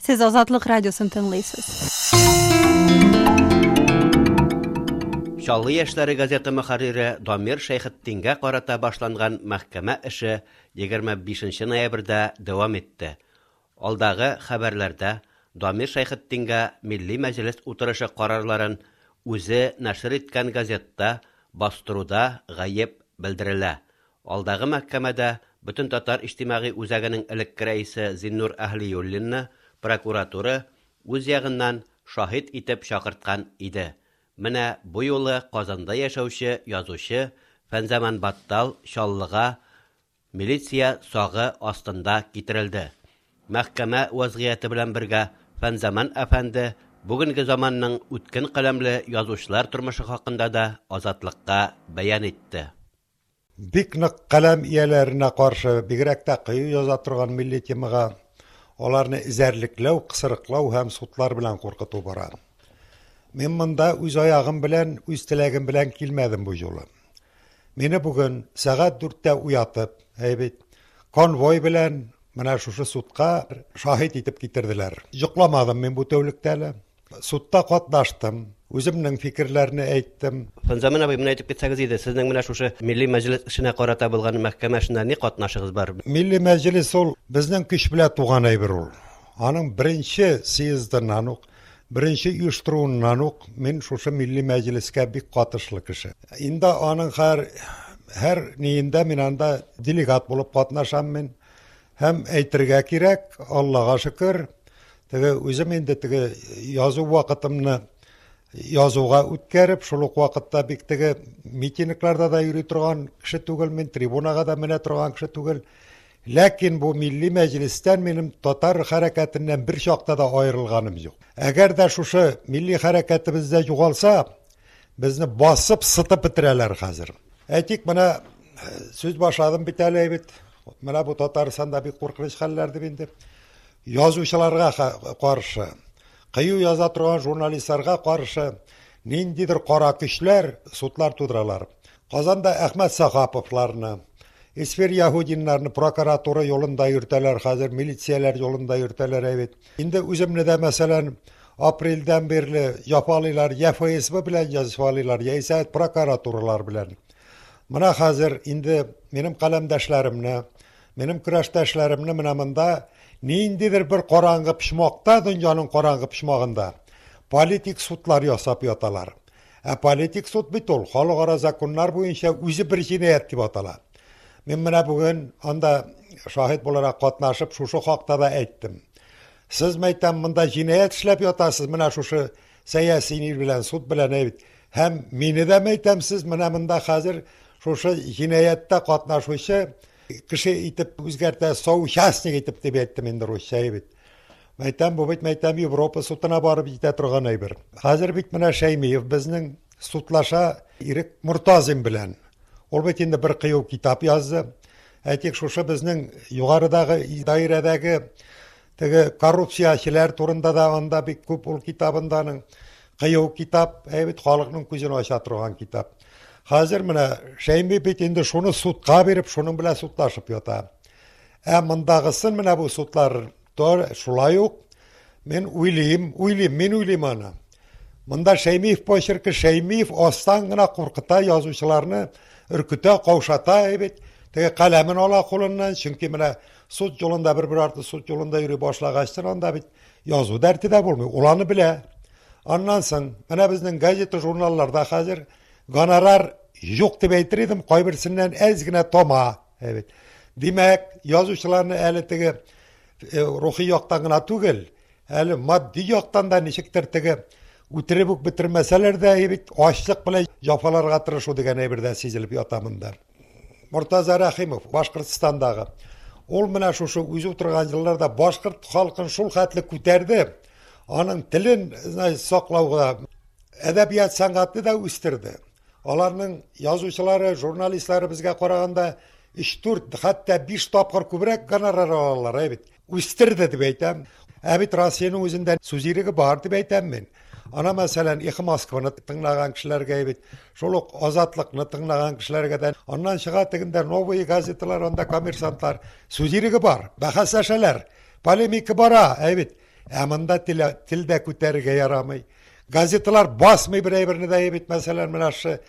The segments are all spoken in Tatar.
Сез Азатлык радиосын тыңлыйсыз. Чаллы яшьләре газеты мөхәррире Дамир Шәйхетдингә карата башланган мәхкәмә эше 25 ноябрьдә дәвам итте. Алдагы хәбәрләрдә Дамир Шәйхетдингә Милли Мәҗлес утырышы карарларын үзе нәшер иткән газетта бастыруда гаеп белдерелә. Алдагы мәхкәмәдә Бөтентатар иҗтимагый үзәгенең элекке рәисе Зиннур Әһлиуллинны прокуратура үз ягыннан шаһит итеп чакырткан иде. Менә бу юлы Казанда яшәүче язучы Фәнзаман Баттал Чаллыга милиция сагы астында китерелде. Мәхкәмә вәзгыяте белән бергә Фәнзаман әфәнде бүгенге заманның үткен каләмле язучылар тормышы хакында да Азатлыкка бәян итте. Бик нык каләм ияләренә каршы, бигрәк тә кыю яза торган милли темага, аларны эзәрлекләү, кысрыклау һәм судлар белән куркыту бара. Мин монда үз аягым белән, үз теләгем белән килмәдем бу юлы. Мине бүген сәгать дүрттә уятып, әй бит, конвой белән менә шушы судка шаһит итеп китерделәр. Йокламадым мин бу тәүлектә әле. Судта катнаштым, үземнең фикерләрне әйттем. Фәнзаман абый, менә әйтеп китсәгез иде, сезнең менә шушы Милли Мәҗлес эшенә карата булган мәхкәмә эшендә ни катнашыгыз бар? Милли Мәҗлес ул безнең көч белән туган әйбер ул. Аның беренче съездыннан ук, беренче оештыруыннан ук мин шушы Милли Мәҗлескә бик катышлы кеше. Инде аның һәр һәр ниендә мин анда делегат булып катнашам мин. Һәм әйтергә кирәк, Аллага шөкер, теге үзем инде теге язу вакытымны язуга үткәреп, шул ук вакытта бик теге митингларда да йөри торган кеше түгел мин, трибунага да менә торган кеше түгел. Ләкин бу милли мәҗлестән минем татар хәрәкәтеннән бер чакта да аерылганым юк. Әгәр дә шушы милли хәрәкәтебездә югалса, безне басып, сытып бетерәләр хәзер. Әйтик, менә сүз башладым бит әле бит. Менә бу Татарстанда бик куркыныч хәлләр дип инде. Язучыларга каршы, кыю яза торган журналистларга каршы ниндидер кара көчләр судлар тудыралар. Казанда Әхмәт Сахаповларны, Эсфир Яһудиннарны прокуратура юлында йөртәләр хәзер, милицияләр юлында йөртәләр бит. Инде үземне дә, мәсәлән, апрельдән бирле җафалыйлар, я ФСБ белән җафалыйлар, яисә прокуратуралар белән. Менә хәзер инде минем каләмдәшләремне, минем көрәштәшләремне менә монда ниндидер бер караңгы почмакта, дөньяның караңгы почмагында политик судлар ясап яталар. Ә политик суд бит ул халыкара законнар буенча үзе бер җинаять дип атала. Мин менә бүген анда шаһит буларак катнашып шушы хакта да әйттем. Сез мәйтәм монда җинаять эшләп ятасыз, менә шушы сәяси ни белән, суд белән әйт. Һәм мине дә мәйтәм, сез менә монда хәзер шушы җинаятьтә катнашучы кеше итеп үзгәртә, соучастник итеп дип әйттем инде русча бит. Мәйтәм, бу бит мәйтәм Европа судына барып җитә торган әйбер. Хәзер бит менә Шәймиев безнең судлаша Ирек Мортазин белән. Ул бит инде бер кыю китап язды. Әйтик, шушы безнең югарыдагы даирәдәге теге коррупциячеләр турында да анда бик күп ул китабында аның. Кыю китап, әй бит халыкның күзен ача торган китап. Хәзер менә Шәйми бит инде шуны судка биреп, шуның белән судлашып ята. Ә мондагысын менә бу судлар шулай ук мин уйлыйм, уйлыйм, мин уйлыйм аны. Монда Шәймиев почеркы, Шәймиев астан гына куркыта язучыларны, өркетә, каушата бит. Теге каләмен ала кулыннан, чөнки менә суд юлында бер-бер артлы суд юлында йөри башлагачтын анда бит язу дәрте дә булмый. Ул аны белә. Аннан соң менә безнең газета, журналларда хәзер гонорар юк дип әйтер идем, кайберсеннән әз генә тома. Бит. Димәк, язучыларны әле теге рухи яктан гына түгел, әле матди яктан да ничектер теге үтереп үк бетермәсәләр дә бит ачлык белән җафаларга тырышу дигән әйбер дә сизелеп ята монда. Мортаза Рәхимов, Башкортстандагы. Ул менә шушы үзе утырган елларда башкорт халкын шул хәтле күтәрде, аның телен саклауга, әдәбият сәнгатьне дә үстерде. Аларның язучылары, журналистлары безгә караганда 3-4, хәтта 5 тапкыр күбрәк гонорар алалар, әй бит. Үстерде дип әйтәм. Ә бит Россиянең үзендә сүз иреге бар дип әйтәм мин. Ана мәсәлән, Эхо Москваны тыңлаган кешеләргә бит, шул ук Азатлыкны тыңлаган кешеләргә дә, аннан чыга тегендә новые газеталар, анда коммерсантлар. Сүз иреге бар, бәхәсләшәләр, полемика бара, әй бит. Ә монда тел, тел дә күтәрергә ярамый. Газеталар басмый бер әйберне дә бит, мәсәлән, менә шы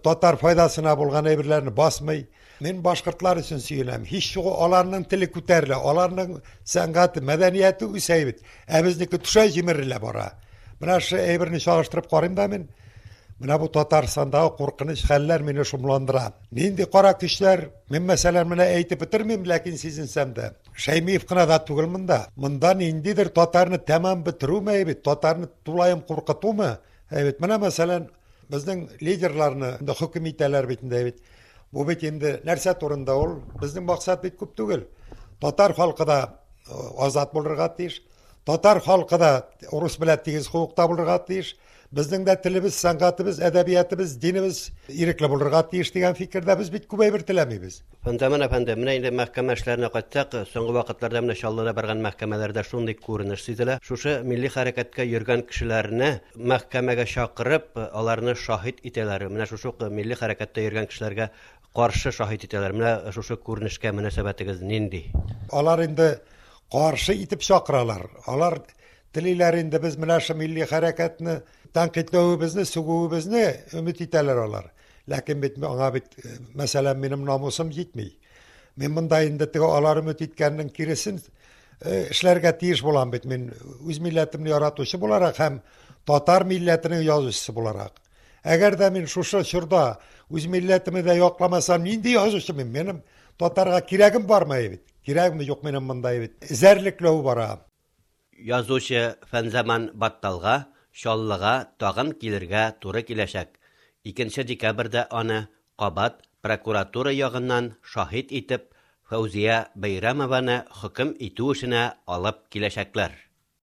татар файдасына булган әйберләрне басмый. Мин башкортлар өчен сөенәм. Һич югы аларның теле күтәрелә, аларның сәнгате, мәдәнияте үсә бит. Ә безнеке төшә, җимерелә бара. Менә шы әйберне чагыштырып карыйм да мин. Менә бу Татарстандагы куркыныч хәлләр мине шомландыра. Нинди кара көчләр, мин мәсәлән менә әйтеп бетермим, ләкин сизенсәм дә. Шәймиев кына да түгел монда. Монда ниндидер татарны тәмам бетерүме бит, татарны тулаем куркытумы? Әйбит, менә мәсәлән, безнең лидерларны инде хөкем итәләр бит инде бит. Бу бит инде нәрсә турында ул? Безнең максат бит күп түгел. Татар халкы да э, азат булырга тиеш. Татар халкы да урыс белән тигез хокукта булырга тиеш. Безнең дә телебез, сәнгатебез, әдәбиятыбыз, динебез ирекле булырга тиеш дигән фикердә без бит күп әйбер теләмибез. Фәнзаман әфәнде, менә инде мәхкәмә эшләренә кайтсак, соңгы вакытларда менә Чаллыда барган мәхкәмәләрдә шундый күренеш сизелә. Шушы милли хәрәкәткә йөргән кешеләрне мәхкәмәгә чакырып, аларны шаһит итәләр. Менә шушы ук милли хәрәкәттә йөргән кешеләргә каршы шаһит итәләр. Менә шушы күренешкә мөнәсәбәтегез нинди? Алар инде каршы итеп чакыралар. Алар телиләр инде без менә шу милли хәрәкәтне тәнкыйтьләвебезне, сүгүебезне өмет итәләр алар. Ләкин бит аңа бит, э, мәсәлән, минем намусым җитми. Мин монда инде теге алар өмет иткәннең киресен э, эшләргә тиеш булам бит. Мин үз милләтемне яратучы буларак һәм татар милләтенең язучысы буларак. Әгәр дә мин шушы чорда үз милләтемне дә якламасам, нинди язучы мин? Минем татарга кирәгем бармы бит? Кирәгем юк минем монда бит. Эзәрлекләү бара. Язучы Фәнзаман Батталга Чаллыга тагын килергә туры киләчәк. Икенче декабрьдә аны кабат прокуратура ягыннан шаһит итеп Фәүзия Бәйрәмованы хөкем итү эшенә алып киләчәкләр.